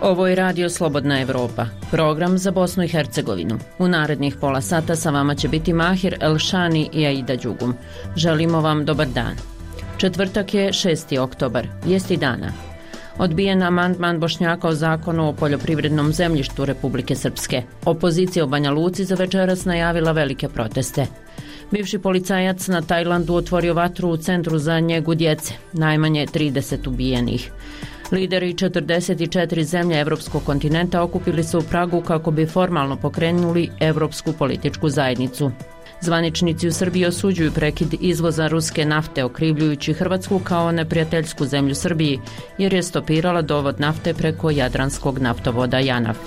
Ovo je Radio Slobodna Evropa, program za Bosnu i Hercegovinu. U narednih pola sata sa vama će biti Mahir Elšani i Aida Đugum. Želimo vam dobar dan. Četvrtak je 6. oktobar, vijesti dana. Odbijen amandman Bošnjaka o zakonu o poljoprivrednom zemljištu Republike Srpske. Opozicija u Banja Luci za večeras najavila velike proteste. Bivši policajac na Tajlandu otvorio vatru u centru za njegu djece, najmanje 30 ubijenih. Lideri 44 zemlje evropskog kontinenta okupili se u Pragu kako bi formalno pokrenuli Evropsku političku zajednicu. Zvaničnici u Srbiji osuđuju prekid izvoza ruske nafte, okrivljujući Hrvatsku kao neprijateljsku zemlju Srbiji, jer je stopirala dovod nafte preko jadranskog naftovoda JANAF.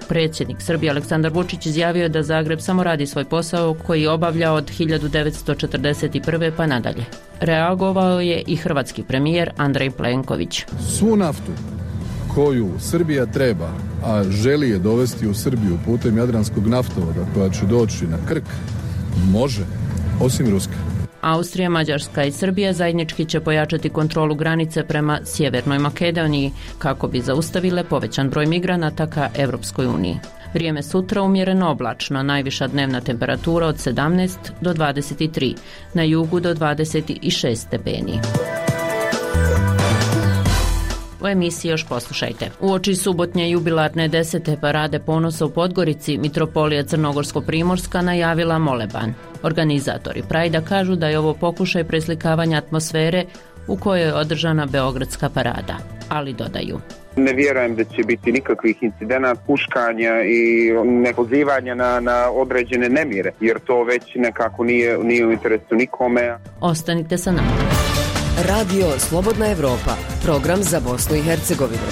Predsjednik Srbije Aleksandar Vučić izjavio je da Zagreb samo radi svoj posao koji obavlja od 1941. pa nadalje. Reagovao je i hrvatski premijer Andrej Plenković. Svu naftu koju Srbija treba, a želi je dovesti u Srbiju putem jadranskog naftovoda koja će doći na Krk, može, osim ruske. Austrija, Mađarska i Srbija zajednički će pojačati kontrolu granice prema Sjevernoj Makedoniji kako bi zaustavile povećan broj migranata ka Evropskoj uniji. Vrijeme sutra umjereno oblačno, najviša dnevna temperatura od 17 do 23, na jugu do 26 stepeni. U emisiji još poslušajte. Uoči subotnje jubilarne 10. parade ponosa u Podgorici, Mitropolija Crnogorsko-Primorska najavila moleban. Organizatori Prajda kažu da je ovo pokušaj preslikavanja atmosfere u kojoj je održana Beogradska parada, ali dodaju: ne vjerujem da će biti nikakvih incidenata, puškanja i nepozivanja na određene nemire, jer to već nekako nije u interesu nikome. Ostanite sa nama. Radio Slobodna Evropa, program za Bosnu i Hercegovinu.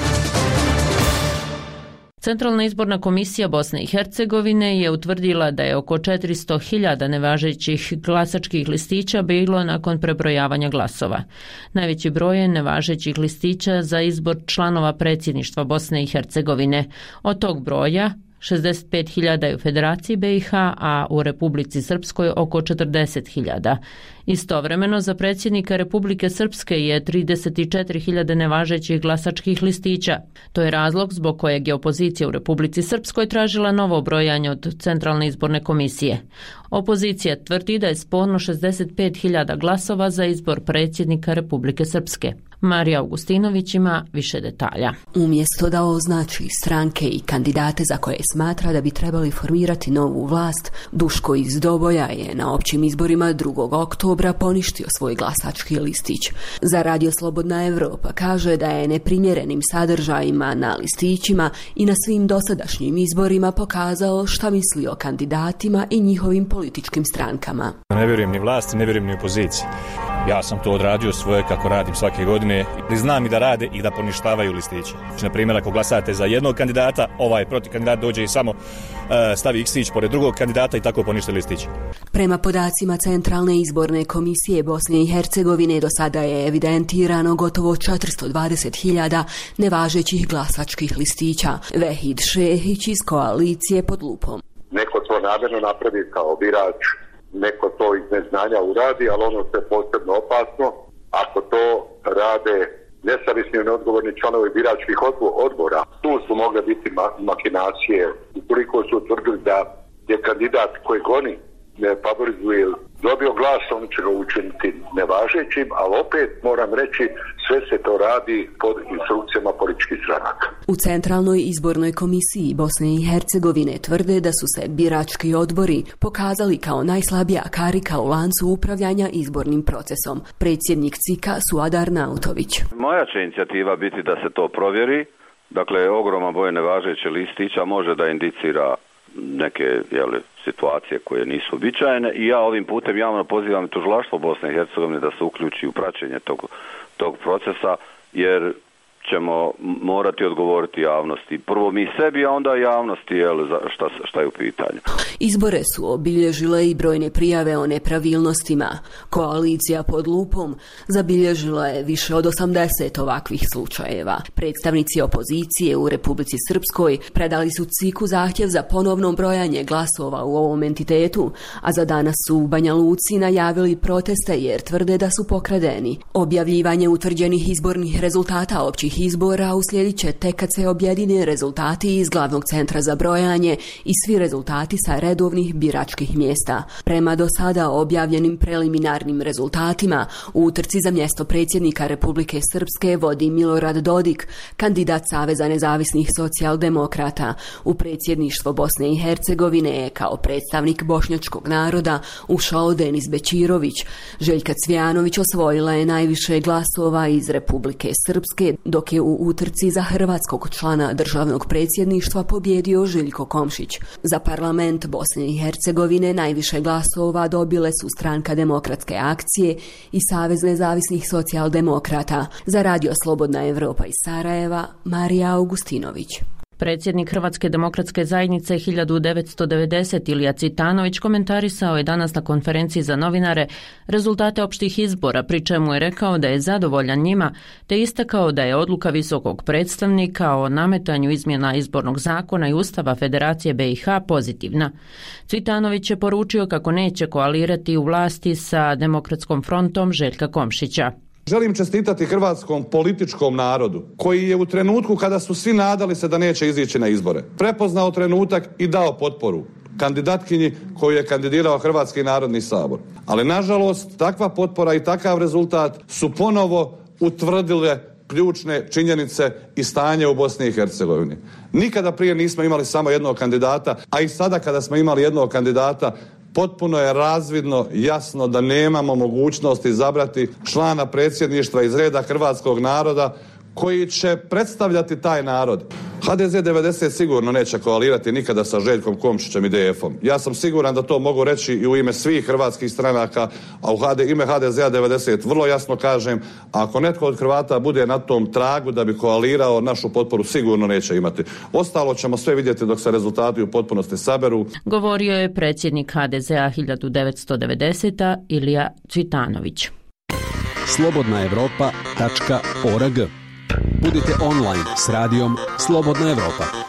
Centralna izborna komisija Bosne i Hercegovine je utvrdila da je oko 400.000 nevažećih glasačkih listića bilo nakon prebrojavanja glasova. Najveći broj je nevažećih listića za izbor članova predsjedništva Bosne i Hercegovine. Od tog broja 65.000 je u Federaciji BiH, a u Republici Srpskoj oko 40.000. Istovremeno za predsjednika Republike Srpske je 34.000 nevažećih glasačkih listića. To je razlog zbog kojeg je opozicija u Republici Srpskoj tražila novo brojanje od Centralne izborne komisije. Opozicija tvrdi da je sporno 65.000 glasova za izbor predsjednika Republike Srpske. Marija Augustinović ima više detalja. Umjesto da označi stranke i kandidate za koje smatra da bi trebali formirati novu vlast, Duško iz Doboja je na općim izborima 2. oktobra poništio svoj glasački listić. Za Radio Slobodna Evropa kaže da je neprimjerenim sadržajima na listićima i na svim dosadašnjim izborima pokazao šta misli o kandidatima i njihovim političkim strankama. Ne vjerujem ni vlasti, ne vjerujem ni opoziciji. Ja sam to odradio svoje kako radim svake godine. Znam i da rade i da poništavaju listiće. Na primjer, ako glasate za jednog kandidata, ovaj protiv kandidat dođe i samo stavi X-ić pored drugog kandidata i tako ponište listić. Prema podacima Centralne izborne komisije Bosne i Hercegovine do sada je evidentirano gotovo 420.000 nevažećih glasačkih listića. Vehid Šehić iz koalicije Pod lupom. Neko to namjerno napravi kao birač, neko to iz neznanja uradi, ali ono što je posebno opasno, ako to rade nesavjesni i neodgovorni članovi biračkih odbora. Tu su mogle biti makinacije. Ukoliko su utvrdili da je kandidat kojeg oni ne favorizuje dobio glas, oni će ga učiniti nevažećim, ali opet moram reći, sve se to radi pod instrukcijama političkih stranaka. U Centralnoj izbornoj komisiji Bosne i Hercegovine tvrde da su se birački odbori pokazali kao najslabija karika u lancu upravljanja izbornim procesom. Predsjednik CIK-a Suadar Nautović. Moja će inicijativa biti da se to provjeri. Dakle, ogroman broj nevažeće listića može da indicira neke situacije koje nisu uobičajene i ja ovim putem javno pozivam tužilaštvo Bosne i Hercegovine da se uključi u praćenje tog procesa, jer ćemo morati odgovoriti javnosti. Prvo mi sebi, a onda javnosti šta je u pitanju. Izbore su obilježile i brojne prijave o nepravilnostima. Koalicija Pod lupom zabilježila je više od 80 ovakvih slučajeva. Predstavnici opozicije u Republici Srpskoj predali su CIK-u zahtjev za ponovno brojanje glasova u ovom entitetu, a za danas su u Banja Luci najavili proteste jer tvrde da su pokradeni. Objavljivanje utvrđenih izbornih rezultata općih ovih izbora uslijedit će tek kad se objedine rezultati iz glavnog centra za brojanje i svi rezultati sa redovnih biračkih mjesta. Prema do sada objavljenim preliminarnim rezultatima, u utrci za mjesto predsjednika Republike Srpske vodi Milorad Dodik, kandidat Saveza nezavisnih socijaldemokrata. U predsjedništvo Bosne i Hercegovine je kao predstavnik bošnjačkog naroda ušao Denis Bećirović. Željka Cvijanović osvojila je najviše glasova iz Republike Srpske, dok je u utrci za hrvatskog člana državnog predsjedništva pobjedio Željko Komšić. Za parlament Bosne i Hercegovine najviše glasova dobile su Stranka demokratske akcije i Savez nezavisnih socijaldemokrata. Za Radio Slobodna Evropa iz Sarajeva, Marija Augustinović. Predsjednik Hrvatske demokratske zajednice 1990 Ilija Cvitanović komentarisao je danas na konferenciji za novinare rezultate opštih izbora, pri čemu je rekao da je zadovoljan njima, te istakao da je odluka visokog predstavnika o nametanju izmjena izbornog zakona i Ustava Federacije BiH pozitivna. Cvitanović je poručio kako neće koalirati u vlasti sa Demokratskom frontom Željka Komšića. Želim čestitati hrvatskom političkom narodu koji je u trenutku kada su svi nadali se da neće izići na izbore prepoznao trenutak i dao potporu kandidatkinji koju je kandidirao Hrvatski narodni sabor. Ali nažalost takva potpora i takav rezultat su ponovo utvrdile ključne činjenice i stanje u Bosni i Hercegovini. Nikada prije nismo imali samo jednog kandidata, a i sada kada smo imali jednog kandidata potpuno je razvidno, jasno da nemamo mogućnosti izabrati člana predsjedništva iz reda hrvatskog naroda koji će predstavljati taj narod. HDZ 90 sigurno neće koalirati nikada sa Željkom Komšićem i DF-om. Ja sam siguran da to mogu reći i u ime svih hrvatskih stranaka, a u ime HDZ-a 90 vrlo jasno kažem, ako netko od Hrvata bude na tom tragu da bi koalirao, našu potporu sigurno neće imati. Ostalo ćemo sve vidjeti dok se rezultati u potpunosti saberu. Govorio je predsjednik HDZ-a 1990 Ilija Cvitanović. slobodnaevropa.org. Budite online s radijom Slobodna Evropa.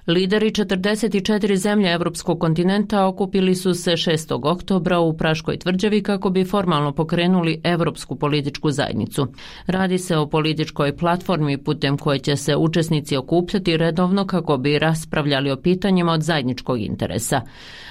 Lideri 44 zemlje evropskog kontinenta okupili su se 6. oktobra u Praškoj tvrđavi kako bi formalno pokrenuli Evropsku političku zajednicu. Radi se o političkoj platformi putem koje će se učesnici okupljati redovno kako bi raspravljali o pitanjima od zajedničkog interesa.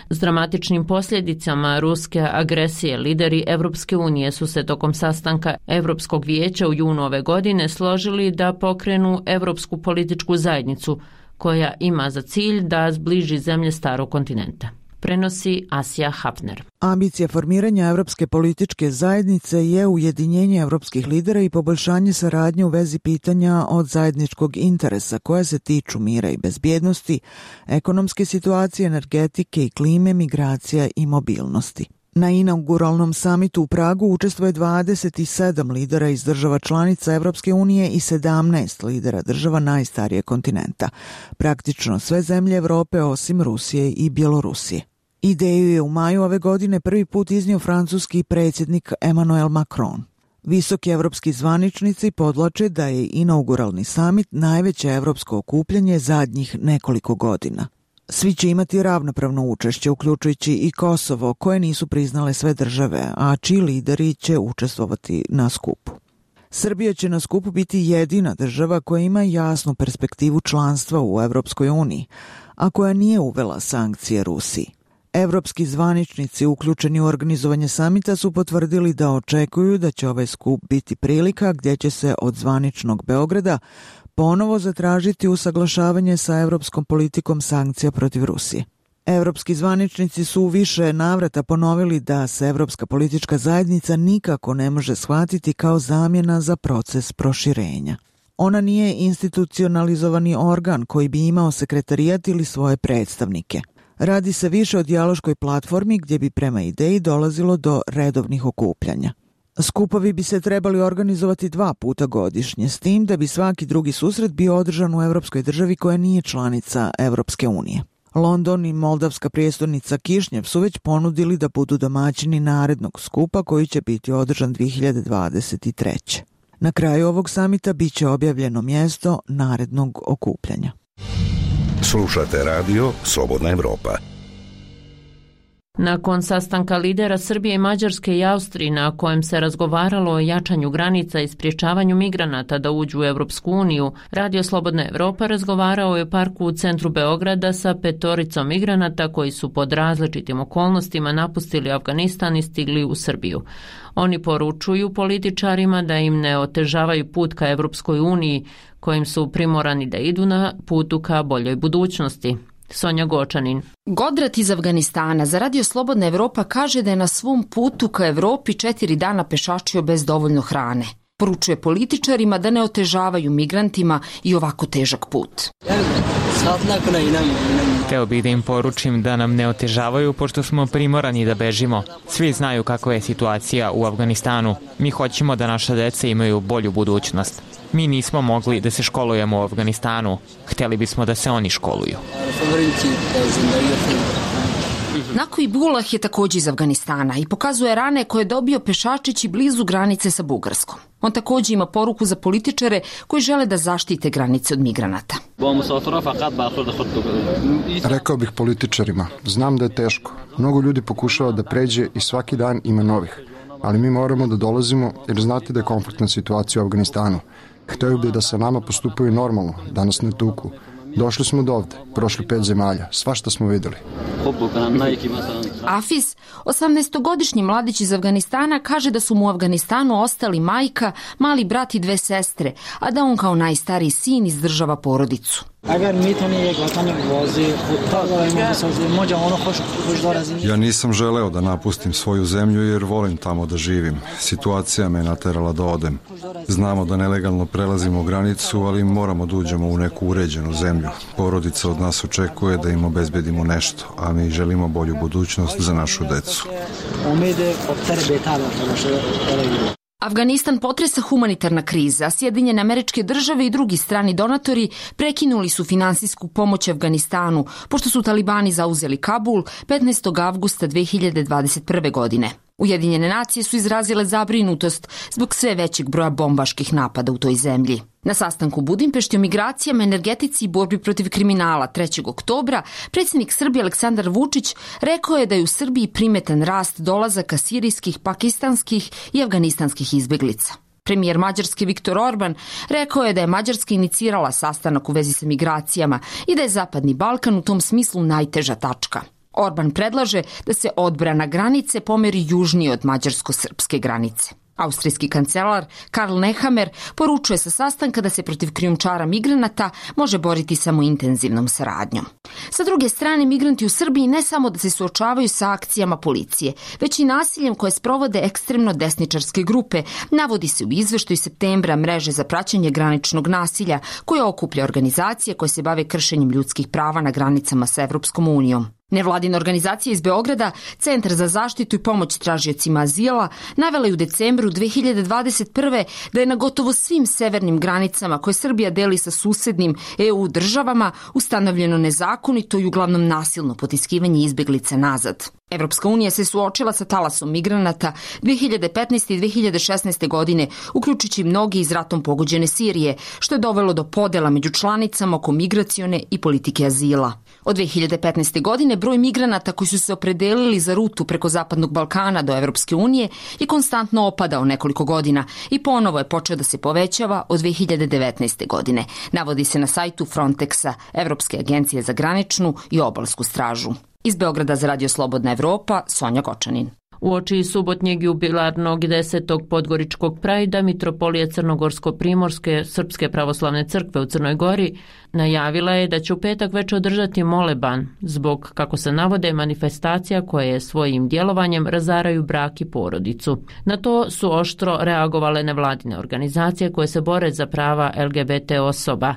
S dramatičnim posljedicama ruske agresije lideri Evropske unije su se tokom sastanka Evropskog vijeća u junu ove godine složili da pokrenu Evropsku političku zajednicu koja ima za cilj da zbliži zemlje starog kontinenta. Prenosi Asija Hafner. Ambicija formiranja Evropske političke zajednice je ujedinjenje evropskih lidera i poboljšanje saradnje u vezi pitanja od zajedničkog interesa koja se tiču mira i bezbjednosti, ekonomske situacije, energetike i klime, migracija i mobilnosti. Na inauguralnom samitu u Pragu učestvuje 27 lidera iz država članica Evropske unije i 17 lidera država najstarijeg kontinenta. Praktično sve zemlje Evrope osim Rusije i Bjelorusije. Ideju je u maju ove godine prvi put iznio francuski predsjednik Emmanuel Macron. Visoki evropski zvaničnici podvlače da je inauguralni samit najveće evropsko okupljanje zadnjih nekoliko godina. Svi će imati ravnopravno učešće, uključujući i Kosovo, koje nisu priznale sve države, a čiji lideri će učestvovati na skupu. Srbija će na skupu biti jedina država koja ima jasnu perspektivu članstva u Evropskoj uniji, a koja nije uvela sankcije Rusiji. Evropski zvaničnici uključeni u organizovanje samita su potvrdili da očekuju da će ovaj skup biti prilika gdje će se od zvaničnog Beograda ponovo zatražiti usaglašavanje sa evropskom politikom sankcija protiv Rusije. Evropski zvaničnici su u više navrata ponovili da se Evropska politička zajednica nikako ne može shvatiti kao zamjena za proces proširenja. Ona nije institucionalizovani organ koji bi imao sekretarijat ili svoje predstavnike. Radi se više o dijaloškoj platformi gdje bi prema ideji dolazilo do redovnih okupljanja. Skupovi bi se trebali organizovati 2 puta godišnje, s tim da bi svaki drugi susret bio održan u evropskoj državi koja nije članica Evropske unije. London i moldavska prijestolnica Kišnjev su već ponudili da budu domaćini narednog skupa koji će biti održan 2023. Na kraju ovog samita bit će objavljeno mjesto narednog okupljanja. Slušate radio Slobodna Evropa. Nakon sastanka lidera Srbije, Mađarske i Austrije na kojem se razgovaralo o jačanju granica i sprječavanju migranata da uđu u Evropsku uniju, Radio Slobodna Evropa razgovarao je u parku u centru Beograda sa 5 migranata koji su pod različitim okolnostima napustili Afganistan i stigli u Srbiju. Oni poručuju političarima da im ne otežavaju put ka Evropskoj uniji, kojim su primorani da idu na putu ka boljoj budućnosti. Sonja Gočanin. Godrat iz Afganistana za Radio Slobodna Evropa kaže da je na svom putu ka Evropi 4 dana pešačio bez dovoljno hrane. Poručuje političarima da ne otežavaju migrantima i ovako težak put. Hteo bih da im poručim da nam ne otežavaju pošto smo primorani da bežimo. Svi znaju kakva je situacija u Afganistanu. Mi hoćemo da naša deca imaju bolju budućnost. Mi nismo mogli da se školujemo u Afganistanu. Hteli bismo da se oni školuju. Nako Ibullah je također iz Afganistana i pokazuje rane koje je dobio pešačeći blizu granice sa Bugarskom. On također ima poruku za političare koji žele da zaštite granice od migranata. Rekao bih političarima, znam da je teško. Mnogo ljudi pokušava da pređe i svaki dan ima novih. Ali mi moramo da dolazimo jer znate da je konfliktna situacija u Afganistanu. Hteo bih da sa nama postupaju normalno, da nas ne tuku. Došli smo do ovde, prošli 5 zemalja, svašta smo videli. Afiz, 18-godišnji mladić iz Afganistana, kaže da su mu u Afganistanu ostali majka, mali brat i 2 sestre, a da on kao najstariji sin izdržava porodicu. Ja nisam želeo da napustim svoju zemlju jer volim tamo da živim. Situacija me naterala da odem. Znamo da nelegalno prelazimo granicu, ali moramo da uđemo u neku uređenu zemlju. Porodica od nas očekuje da im obezbedimo nešto, a mi želimo bolju budućnost za našu decu. Afganistan potresa humanitarna kriza, a Sjedinjene Američke Države i drugi strani donatori prekinuli su finansijsku pomoć Afganistanu, pošto su talibani zauzeli Kabul 15. avgusta 2021. godine. Ujedinjene nacije su izrazile zabrinutost zbog sve većeg broja bombaških napada u toj zemlji. Na sastanku u Budimpešti o migracijama, energetici i borbi protiv kriminala 3. oktobra predsjednik Srbije Aleksandar Vučić rekao je da je u Srbiji primetan rast dolazaka sirijskih, pakistanskih i afganistanskih izbeglica. Premijer Mađarske Viktor Orban rekao je da je Mađarska inicirala sastanak u vezi sa migracijama i da je Zapadni Balkan u tom smislu najteža tačka. Orban predlaže da se odbrana granice pomeri južnije od mađarsko-srpske granice. Austrijski kancelar Karl Nehammer poručuje sa sastanka da se protiv krijumčara migranata može boriti samo intenzivnom saradnjom. Sa druge strane, migranti u Srbiji ne samo da se suočavaju sa akcijama policije, već i nasiljem koje sprovode ekstremno desničarske grupe, navodi se u izveštaju septembra mreže za praćenje graničnog nasilja, koja okuplja organizacije koje se bave kršenjem ljudskih prava na granicama sa Evropskom unijom. Nevladina organizacija iz Beograda, Centar za zaštitu i pomoć tražiocima azila, navela je u decembru 2021. da je na gotovo svim severnim granicama koje Srbija deli sa susednim EU državama ustanovljeno nezakonito i uglavnom nasilno potiskivanje izbeglica nazad. Evropska unija se suočila sa talasom migranata 2015. i 2016. godine, uključujući mnogi iz ratom pogođene Sirije, što je dovelo do podela među članicama oko migracione i politike azila. Od 2015. godine broj migranata koji su se opredelili za rutu preko Zapadnog Balkana do Evropske unije je konstantno opadao nekoliko godina i ponovo je počeo da se povećava od 2019. godine, navodi se na sajtu Frontexa, Evropske agencije za graničnu i obalsku stražu. Iz Beograda za Radio Slobodna Evropa, Sonja Gočanin. Uoči subotnjeg jubilarnog 10. podgoričkog prajda Mitropolija Crnogorsko-Primorske Srpske pravoslavne crkve u Crnoj Gori najavila je da će u petak već održati moleban zbog, kako se navode, manifestacija koje svojim djelovanjem razaraju brak i porodicu. Na to su oštro reagovale nevladine organizacije koje se bore za prava LGBT osoba,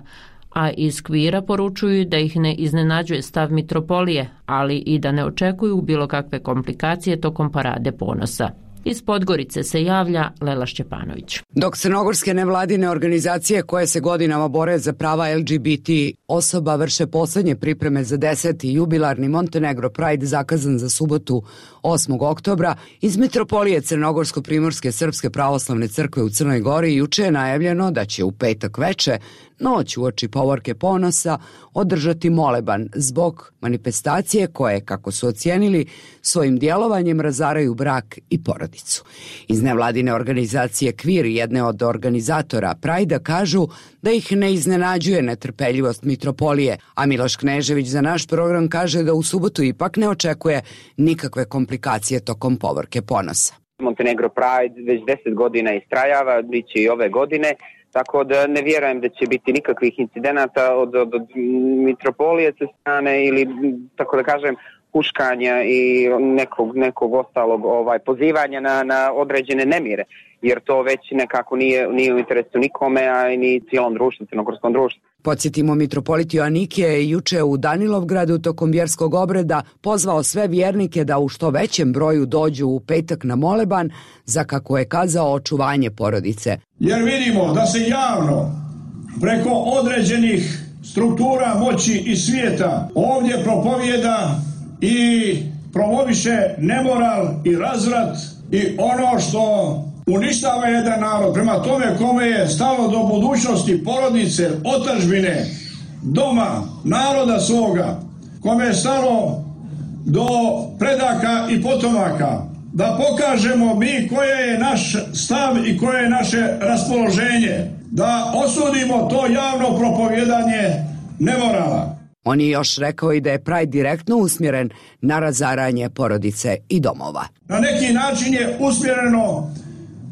a iz Kvira poručuju da ih ne iznenađuje stav Mitropolije, ali i da ne očekuju bilo kakve komplikacije tokom parade ponosa. Iz Podgorice se javlja Lela Šćepanović. Dok crnogorske nevladine organizacije koje se godinama bore za prava LGBT osoba vrše poslednje pripreme za 10. jubilarni Montenegro Pride zakazan za subotu 8. oktobra, iz Mitropolije Crnogorsko-Primorske Srpske pravoslavne crkve u Crnoj Gori juče je najavljeno da će u petak veče, noć uoči Povorke Ponosa, održati moleban zbog manifestacije koje, kako su ocijenili, svojim djelovanjem razaraju brak i porodicu. Iz nevladine organizacije Kvir, jedne od organizatora Prajda, kažu da ih ne iznenađuje netrpeljivost Mitropolije, a Miloš Knežević za naš program kaže da u subotu ipak ne očekuje nikakve komplikacije tokom Povorke Ponosa. Montenegro Pride već 10 godina istrajava, bit će i ove godine, tako da ne vjerujem da će biti nikakvih incidenata od Mitropolije sa strane ili, tako da kažem, huškanja i nekog ostalog pozivanja na određene nemire, jer to već nekako nije u interesu nikome, a i ni cijelom društvu, crnogorskom društvu. Podsjetimo, mitropolit Joanikije je juče u Danilovgradu tokom vjerskog obreda pozvao sve vjernike da u što većem broju dođu u petak na moleban za, kako je kazao, očuvanje porodice. Jer vidimo da se javno preko određenih struktura moći i svijeta ovdje propovijeda i promoviše nemoral i razvrat i ono što uništava jedan narod. Prema tome kome je stalo do budućnosti porodice, otadžbine, doma, naroda svoga, kome je stalo do predaka i potomaka, da pokažemo mi koje je naš stav i koje je naše raspoloženje, da osudimo to javno propovjedanje nemorala. On je još rekao i da je Pride direktno usmjeren na razaranje porodice i domova. Na neki način je usmjereno,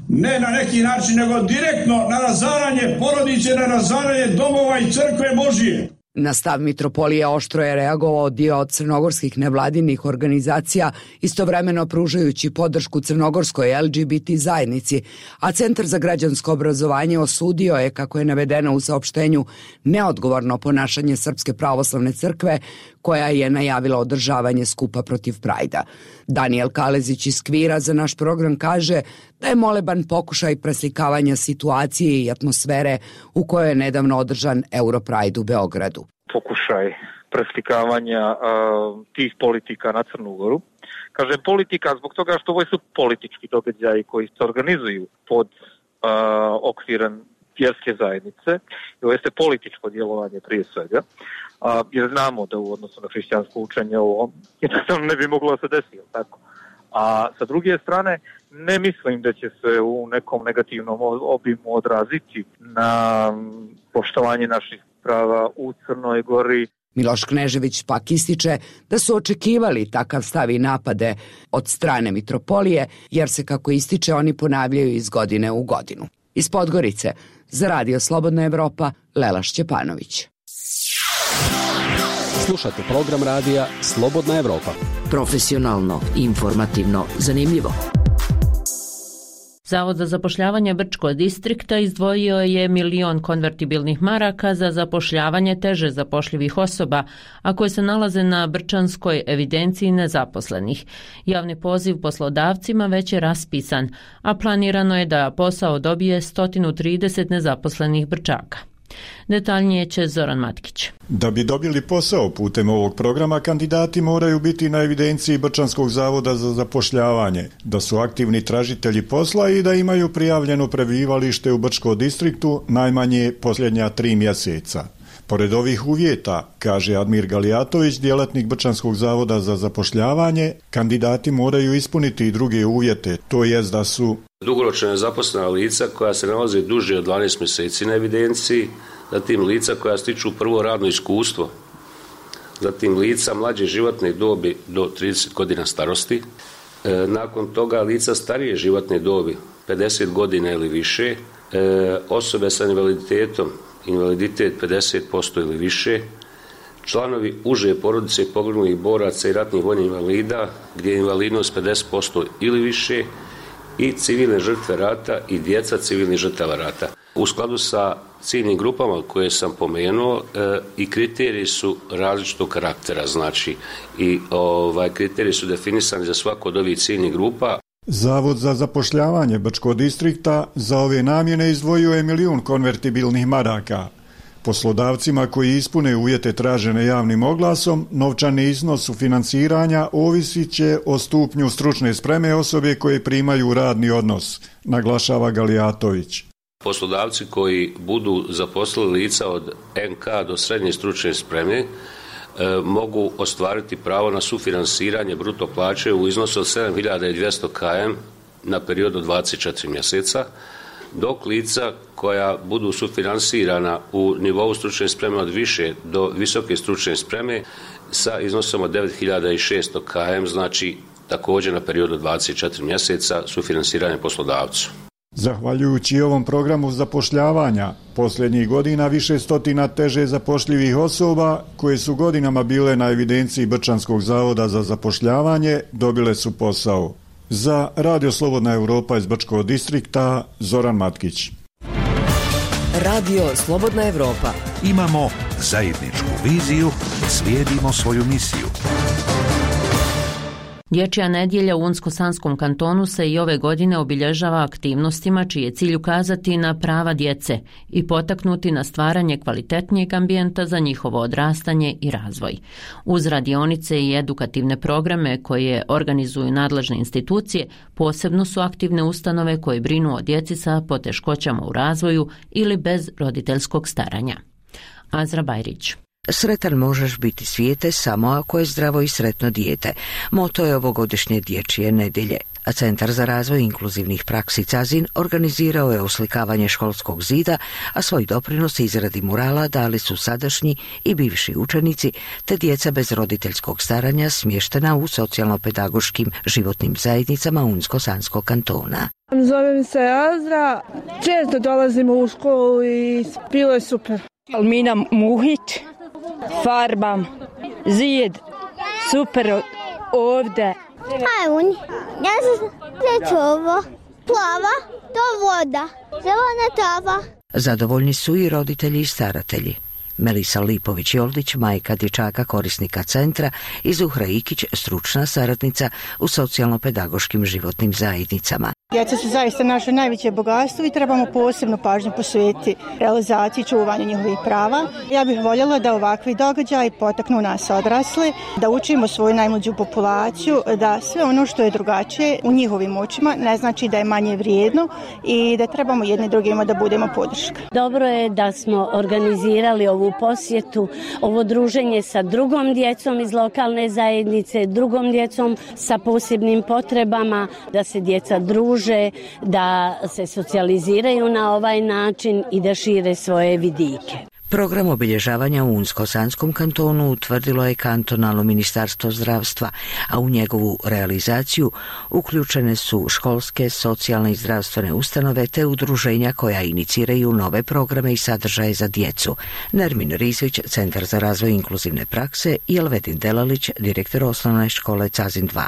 ne na neki način, nego direktno na razaranje porodice, na razaranje domova i crkve Božije. Na stav Mitropolije oštro je reagovao dio od crnogorskih nevladinih organizacija, istovremeno pružajući podršku crnogorskoj LGBT zajednici, a Centar za građansko obrazovanje osudio je, kako je navedeno u saopštenju, neodgovorno ponašanje Srpske pravoslavne crkve, koja je najavila održavanje skupa protiv Prajda. Danijel Kalezić iz Kvira za naš program kaže da je moleban pokušaj preslikavanja situacije i atmosfere u kojoj je nedavno održan Europride u Beogradu. Pokušaj preslikavanja tih politika na Crnu Goru. Kažem politika zbog toga što ovo su politički događaji koji se organizuju pod okvirom vjerske zajednice. Ovo jeste političko djelovanje prije svega. Jer znamo da u odnosu na hrišćansko učenje ovo jednostavno ne bi moglo se desiti, tako. A sa druge strane, ne mislim da će se u nekom negativnom obimu odraziti na poštovanje naših prava u Crnoj Gori. Miloš Knežević pak ističe da su očekivali takav stav i napade od strane Mitropolije, jer se, kako ističe, oni ponavljaju iz godine u godinu. Iz Podgorice, za Radio Slobodna Evropa, Lela Šćepanović. Slušate program radija Slobodna Evropa. Profesionalno, informativno, zanimljivo. Zavod za zapošljavanje Brčkog distrikta izdvojio je 1 milion konvertibilnih maraka za zapošljavanje teže zapošljivih osoba, a koje se nalaze na brčanskoj evidenciji nezaposlenih. Javni poziv poslodavcima već je raspisan, a planirano je da posao dobije 130 nezaposlenih Brčaka. Detaljnije će Zoran Matkić. Da bi dobili posao putem ovog programa, kandidati moraju biti na evidenciji Brčanskog zavoda za zapošljavanje, da su aktivni tražitelji posla i da imaju prijavljeno prebivalište u Brčkom distriktu najmanje posljednja 3 mjeseca. Pored ovih uvjeta, kaže Admir Galijatović, djelatnik Brčanskog zavoda za zapošljavanje, kandidati moraju ispuniti i druge uvjete, to jest da su dugoročno nezaposlena lica koja se nalaze duže od 12 mjeseci na evidenciji, zatim lica koja stiču prvo radno iskustvo, zatim lica mlađe životne dobi do 30 godina starosti, nakon toga lica starije životne dobi 50 godina ili više, osobe sa invaliditetom, invaliditet 50% ili više, članovi uže porodice poginulih boraca i ratnih vojnih invalida gdje je invalidnost 50% ili više i civilne žrtve rata i djeca civilnih žrtava rata. U skladu sa ciljnim grupama koje sam pomenuo i kriteriji su različitog karaktera, znači i kriteriji su definisani za svaku od ovih ciljnih grupa. Zavod za zapošljavanje Bačkog distrikta za ove namjene izdvojio je 1 milijun konvertibilnih maraka. Poslodavcima koji ispune uvjete tražene javnim oglasom, novčani iznos sufinanciranja ovisit će o stupnju stručne spreme osobe koje primaju radni odnos, naglašava Galijatović. Poslodavci koji budu zaposlili lica od NK do srednje stručne spreme mogu ostvariti pravo na sufinansiranje bruto plaće u iznosu od 7200 km na period od 24 mjeseca, dok lica koja budu sufinansirana u nivou stručne spreme od više do visoke stručne spreme sa iznosom od 9600 km, znači također na period od 24 mjeseca sufinansiranje poslodavcu. Zahvaljujući ovom programu zapošljavanja, posljednjih godina više stotina teže zapošljivih osoba koje su godinama bile na evidenciji Brčanskog zavoda za zapošljavanje dobile su posao. Za Radio Slobodna Europa iz Bačkog distrikta, Zoran Matkić. Radio Slobodna Europa. Imamo zajedničku viziju, slijedimo svoju misiju. Dječja nedjelja u Unsko-Sanskom kantonu se i ove godine obilježava aktivnostima čiji je cilj ukazati na prava djece i potaknuti na stvaranje kvalitetnijeg ambijenta za njihovo odrastanje i razvoj. Uz radionice i edukativne programe koje organizuju nadležne institucije, posebno su aktivne ustanove koje brinu o djeci sa poteškoćama u razvoju ili bez roditeljskog staranja. Azra Bajrić. Sretan možeš biti svijete samo ako je zdravo i sretno dijete. Moto je ovogodišnje dječje nedjelje. A Centar za razvoj inkluzivnih praksi CAZIN organizirao je oslikavanje školskog zida, a svoj doprinos izradi murala dali su sadašnji i bivši učenici, te djeca bez roditeljskog staranja smještena u socijalno-pedagoškim životnim zajednicama Unsko-Sanskog kantona. Zovem se Azra, često dolazimo u školu i bilo je super. Almina Muhić, farbam, zid, super ovdje. Ajun, ja sam ovo, plava, to voda, zelena trava. Zadovoljni su i roditelji i staratelji. Melisa Lipović-Joldić, majka dječaka korisnika centra, i Zuhra Ikić, stručna saradnica u socijalno-pedagoškim životnim zajednicama. Djeca su zaista naše najveće bogatstvo i trebamo posebnu pažnju posvetiti realizaciji i čuvanju njihovih prava. Ja bih voljela da ovakvi događaji potaknu nas odrasle, da učimo svoju najmlađu populaciju, da sve ono što je drugačije u njihovim očima ne znači da je manje vrijedno i da trebamo jedni drugima da budemo podrška. Dobro je da smo organizirali ovu posjetu, ovo druženje sa drugom djecom iz lokalne zajednice, drugom djecom sa posebnim potrebama, da se djeca druže, da se socijaliziraju na ovaj način i da šire svoje vidike. Program obilježavanja u Unsko-Sanskom kantonu utvrdilo je kantonalno ministarstvo zdravstva, a u njegovu realizaciju uključene su školske, socijalne i zdravstvene ustanove te udruženja koja iniciraju nove programe i sadržaje za djecu. Nermin Rizvić, Centar za razvoj inkluzivne prakse, i Elvedin Delalić, direktor osnovne škole CAZIN 2.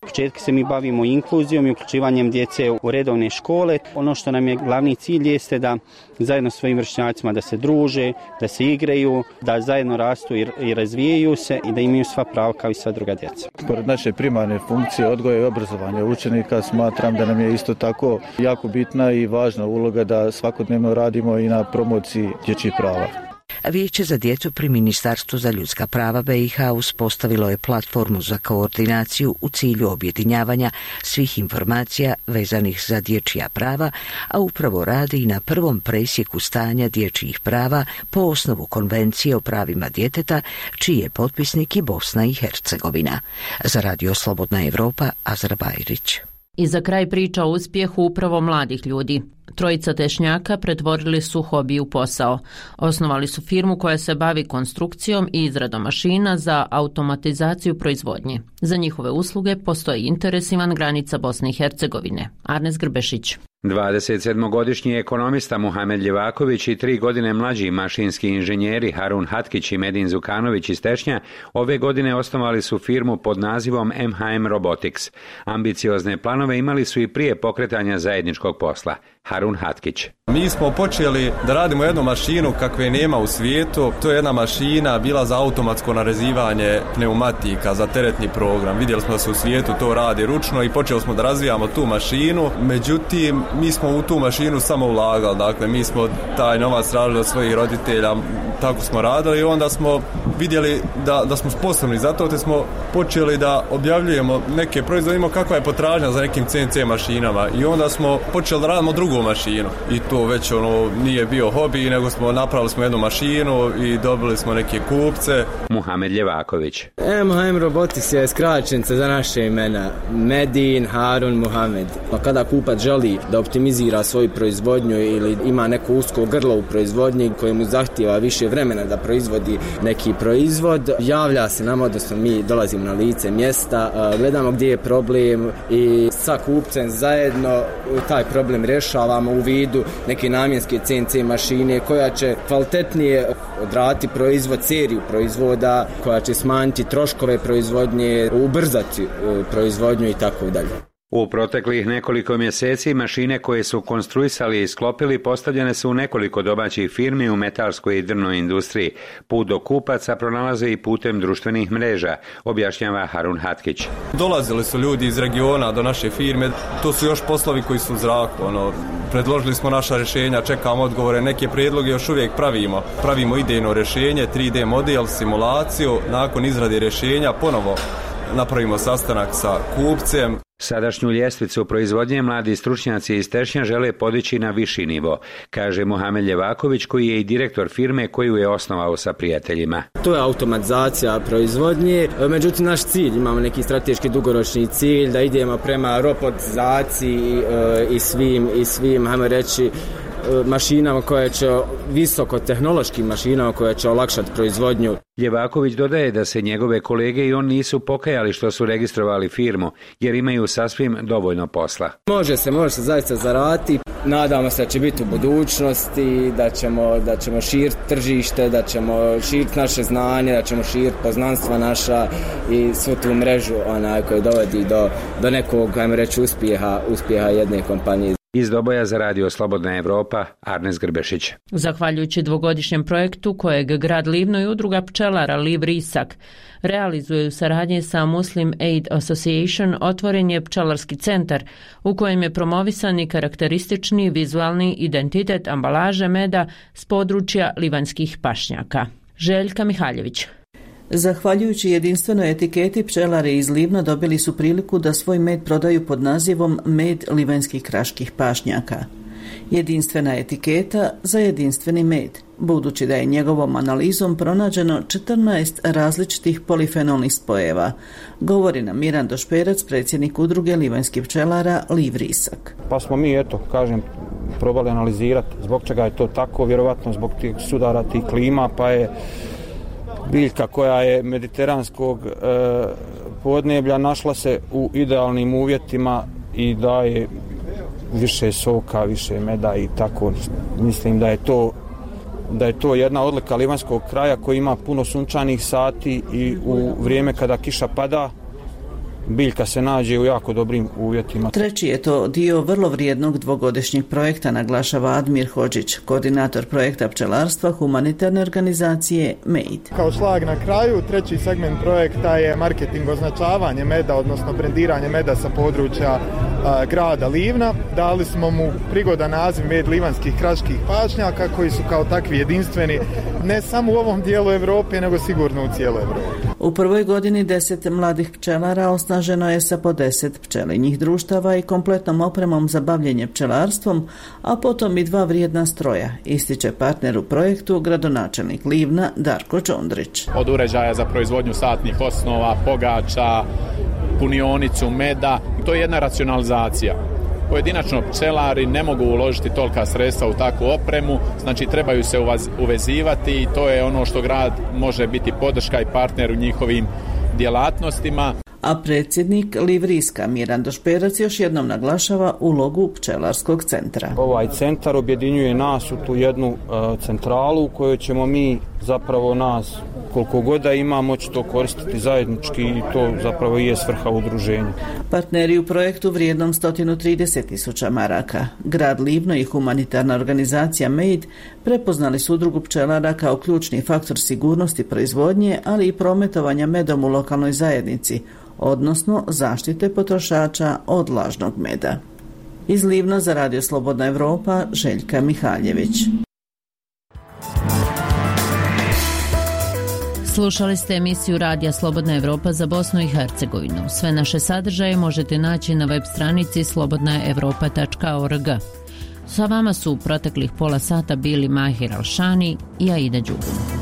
Početka se mi bavimo inkluzijom i uključivanjem djece u redovne škole. Ono što nam je glavni cilj jeste da zajedno s svojim vršnjacima da se druže, da se igraju, da zajedno rastu i razvijaju se i da imaju sva prava kao i sva druga djeca. Pored naše primarne funkcije odgoja i obrazovanja učenika, smatram da nam je isto tako jako bitna i važna uloga da svakodnevno radimo i na promociji dječjih prava. Vijeće za djecu pri Ministarstvu za ljudska prava BiH uspostavilo je platformu za koordinaciju u cilju objedinjavanja svih informacija vezanih za dječja prava, a upravo radi i na prvom presjeku stanja dječjih prava po osnovu Konvencije o pravima djeteta, čiji je potpisnik i Bosna i Hercegovina. Za Radio Slobodna Europa, Azra Bajrić. I za kraj priča o uspjehu upravo mladih ljudi. Trojica tešnjaka pretvorili su hobi u posao. Osnovali su firmu koja se bavi konstrukcijom i izradom mašina za automatizaciju proizvodnje. Za njihove usluge postoji interes izvan granica Bosne i Hercegovine. Arnes Grbešić. 27-godišnji ekonomista Muhamed Ljevaković i 3 godine mlađi mašinski inženjeri Harun Hatkić i Medin Zukanović iz Tešnja ove godine osnovali su firmu pod nazivom MHM Robotics. Ambiciozne planove imali su i prije pokretanja zajedničkog posla. Harun Hatkić. Mi smo počeli da radimo jednu mašinu kakve nema u svijetu. To je jedna mašina bila za automatsko narezivanje pneumatika za teretni program. Vidjeli smo da se u svijetu to radi ručno i počeli smo da razvijamo tu mašinu. Međutim, mi smo u tu mašinu samo ulagali. Dakle, mi smo taj novac radili od svojih roditelja, tako smo radili i onda smo vidjeli da smo sposobni za to, te smo počeli da objavljujemo neke proizvode, kakva je potražnja za nekim CNC mašinama i onda smo počeli da radimo drugu mašinu i to već nije bio hobi, nego napravili smo jednu mašinu i dobili smo neke kupce. Muhamed Ljevaković. MHM Robotics je skraćenica za naše imena. Medin Harun Muhamed. Kada kupac želi da optimizira svoju proizvodnju ili ima neko usko grlo u proizvodnji kojemu zahtijeva više vremena da proizvodi neki proizvod, javlja se nam, odnosno mi dolazimo na lice mjesta, gledamo gdje je problem i sa kupcem zajedno taj problem rješavamo u vidu neke namjenske CNC mašine koja će kvalitetnije odraditi proizvod, seriju proizvoda, koja će smanjiti troškove proizvodnje, ubrzati proizvodnju i tako dalje. U proteklih nekoliko mjeseci mašine koje su konstruisali i sklopili postavljene su u nekoliko domaćih firmi u metalskoj i drvnoj industriji. Put do kupaca pronalaze i putem društvenih mreža, objašnjava Harun Hatkić. Dolazili su ljudi iz regiona do naše firme, to su još poslovi koji su u zraku. Predložili smo naša rješenja, čekamo odgovore, neke prijedloge još uvijek pravimo. Pravimo idejno rješenje, 3D model, simulaciju, nakon izrade rješenja ponovo napravimo sastanak sa kupcem. Sadašnju ljestvicu proizvodnje mladi stručnjaci iz Tešnja žele podići na viši nivo, kaže Muhamed Ljevaković koji je i direktor firme koju je osnovao sa prijateljima. To je automatizacija proizvodnje, međutim naš cilj, imamo neki strateški dugoročni cilj da idemo prema robotizaciji i svim, hajmo reći, mašinama koje će, visokotehnološkim mašinama koje će olakšati proizvodnju. Ljevaković dodaje da se njegove kolege i on nisu pokajali što su registrovali firmu, jer imaju sasvim dovoljno posla. Može se zaista zaraditi. Nadamo se da će biti u budućnosti, da ćemo širiti tržište, da ćemo širiti naše znanje, da ćemo širiti poznanstva naša i svu tu mrežu koja dovodi do nekog, ajmo reći, uspjeha jedne kompanije. Iz Doboja za Radio Slobodna Evropa, Arnes Grbešić. Zahvaljujući dvogodišnjem projektu kojeg grad Livno i udruga pčelara Liv Risak realizuje u saradnji sa Muslim Aid Association, otvoren je pčelarski centar u kojem je promovisan i karakteristični vizualni identitet ambalaže meda s područja livanjskih pašnjaka. Željka Mihaljević. Zahvaljujući jedinstvenoj etiketi, pčelari iz Livna dobili su priliku da svoj med prodaju pod nazivom med livanjskih kraških pašnjaka. Jedinstvena etiketa za jedinstveni med, budući da je njegovom analizom pronađeno 14 različitih polifenolnih spojeva, govori nam Mirando Šperac, predsjednik udruge livanjskih pčelara Liv Risak. Pa smo mi, probali analizirati zbog čega je to tako, vjerovatno zbog tih sudara, tih klima, pa je biljka koja je mediteranskog podneblja našla se u idealnim uvjetima i daje više soka, više meda i tako. Mislim da je to jedna odlika livanjskog kraja koji ima puno sunčanih sati i u vrijeme kada kiša pada biljka se nađe u jako dobrim uvjetima. Treći je to dio vrlo vrijednog dvogodišnjeg projekta, naglašava Admir Hodžić, koordinator projekta pčelarstva humanitarne organizacije MAID. Kao šlag na kraju, treći segment projekta je marketing, označavanje meda, odnosno brendiranje meda sa područja grada Livna. Dali smo mu prigodan naziv med livanjskih kraških pašnjaka koji su kao takvi jedinstveni ne samo u ovom dijelu Europe, nego sigurno u cijeloj Europi. U prvoj godini 10 mladih pčelara osnaženo je sa po 10 pčelinjih društava i kompletnom opremom za bavljenje pčelarstvom, a potom i 2 vrijedna stroja, ističe partner u projektu, gradonačelnik Livna Darko Čondrić. Od uređaja za proizvodnju satnih osnova, pogača, punionicu meda, to je jedna racionalizacija. Pojedinačno pčelari ne mogu uložiti tolika sredstva u takvu opremu, znači trebaju se uvezivati i to je ono što grad može biti podrška i partner u njihovim djelatnostima. A predsjednik Liv Riska Mirando Šperac još jednom naglašava ulogu pčelarskog centra. Ovaj centar objedinjuje nas u tu jednu centralu u kojoj ćemo mi zapravo nas koliko god da ima moći to koristiti zajednički i to zapravo i je svrha udruženja. Partneri u projektu vrijednom 130.000 maraka. Grad Livno i humanitarna organizacija MADE prepoznali su udrugu pčelara kao ključni faktor sigurnosti proizvodnje, ali i prometovanja medom u lokalnoj zajednici, odnosno zaštite potrošača od lažnog meda. Iz Livna za Radio Slobodna Evropa, Željka Mihaljević. Slušali ste emisiju Radija Slobodna Evropa za Bosnu i Hercegovinu. Sve naše sadržaje možete naći na web stranici slobodnaevropa.org. Sa vama su u proteklih pola sata bili Mahir Alšani i Aida Đugum.